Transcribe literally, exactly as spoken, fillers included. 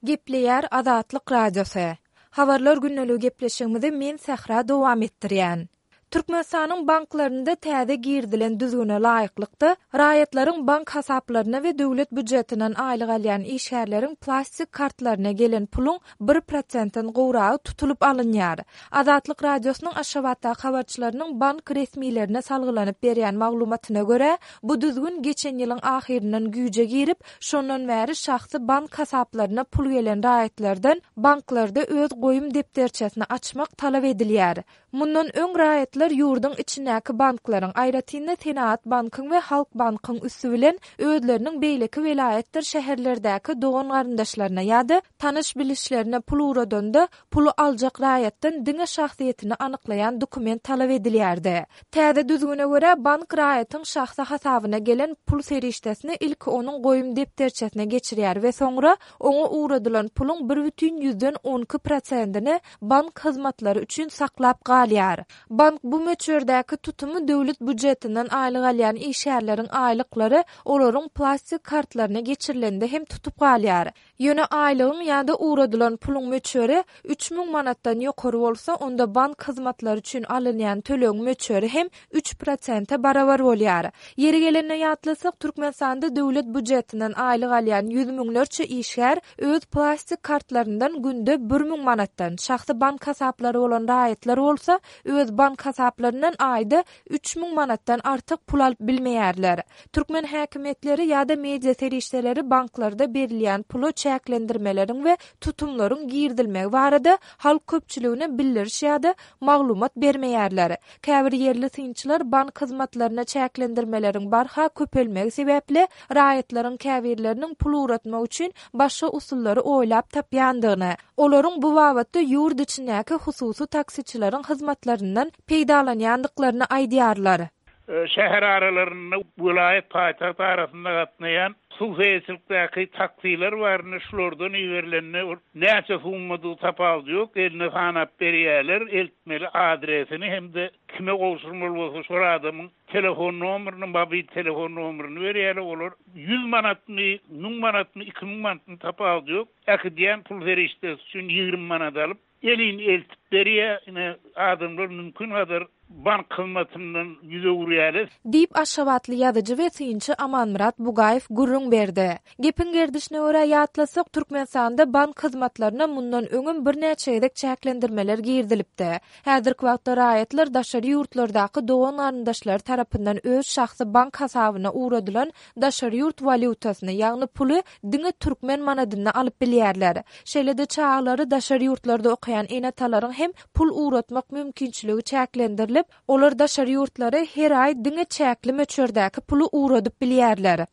Gepleýär Azatlyk Radiosy. Habarlar gündeligi gepleşigimizi men Sähra dowam etdirýän. Türkmenistanyň banklarynda täze girizilen düzgüne laýyklykda, raýatlaryň bank hasaplaryna we döwlet býujetinden aýlyk alýan işgärleriň plastik kartlaryna gelen puluň bir prosentden gowragy tutulyp alynýar. Azatlyk Radiosynyň Aşgabatdaky habarçylarynyň bank resmilerine salgylanyp berýän maglumatyna görä, bu düzgün geçen ýylyň ahyryndan güýje girip, şondan bäri şahsy bank hasaplaryna pul gelen raýatlardan banklarda öz goýum depderçesini açmak talap edilýär. Mundan öň raýatlar ýurduň içindäki banklaryň, aýratyn-da Senagat bankyň we Halk bankyň üsti bilen özleriniň beýleki welaýatdyr şäherlerdäki dogan-garyndaşlaryna ýa-da tanyş-bilişlerine pul ugradanda, puly aljak raýatdan diňe şahsyýetini anyklaýan dokument talap edilýärdi. Täze düzgüne görä, bank raýatyň şahsy hasabyna gelen pul serişdesini ilki onuň goýum depderçesine geçirýär we soňra oňa ugradylan puluň bir bütin ýüzden on iki prosentini bank hyzmatlary üçin saklap galýar. Bank bu möçberdäki tutumy döwlet býujetinden aýlyk alýan işgärleriň aýlyklary olaryň plastik kartlaryna geçirilende hem tutup galýar. Ýöne aýlygyň ýa-da ugradylan puluň möçberi üç müň manatdan ýokary bolsa, onda bank hyzmatlary üçin alynýan tölegiň möçberi hem üç prosente barabar bolýar. Ýeri gelende ýatlasak, Türkmenistanda döwlet býujetinden aýlyk alýan ýüz müňlerçe işgär öz plastik kartlaryndan günde bir müň manatdan, şahsy bank hasaplary bolan raýatlar bolsa öz bank hasaplaryndan aýda üç müň manatdan artyk pul alyp bilmeýärler. Türkmen häkimiýetleri ýa-da media serişdeleri banklarda berilýän pula çäklendirmeleriň we tutumlaryň girizilmegi barada halk köpçüligine bildiriş ýa-da maglumat bermeýärler. Käbir ýerli synçylar bank hyzmatlaryna çäklendirmeleriň barha köpelmegi sebäpli raýatlaryň käbirleriniň pul ugratmak üçin başga usullary oýlap tapýandygyny, olaryň bu babatda ýurt içindäki hususy taksiçileriň hyzmatlaryndan peýdalanýandyklaryny aýdýarlar. Şäher aralarynda welaýat paýtagt arasynda gatnaýan hususyýetçilikdäki taksiler baryny şulardan iberilende näçe summady tapawudy ýok, eline sanap berýärler, eltmeli adresini hem-de kime gowşurmaly bolsa şol adamyň telefon nomerini, mobil telefon nomerini berýärler. Olar ýüz manatmy, müň manatmy, iki müň manatmy tapawudy ýok. Äkidýän pul serişdesi üçin ýigrimi manat alyp, elin eltip berýär. Ine adamlar mümkin kadar bank hyzmatyndan ýüz öwürýärler. Diýip Aşgabatly ýazyjy we synçy Amanmyrat Bugaýew gürrüň berdi. Gepiň gerdişine görä ýatlasak, Türkmenistanda bank hyzmatlaryna mundan öňem birnäçe gezek çäklendirmeler girizilipdi. Häzirki wagtda raýatlar daşary ýurtlardaky dogan-garyndaşlary tarapyndan öz şahsy bank hasabyna ugradylan daşary ýurt walýutasyny, ýagny puly diňe türkmen manadynda alyp bilýärler. Şeýle-de çagalary daşary ýurtlarda okaýan ene-atalaryň hem pul ugratmak mümkinçiligi çäklendirilip, olar daşary ýurtlara her aý diňe çäkli möçberdäki puly ugradyp bilýärler.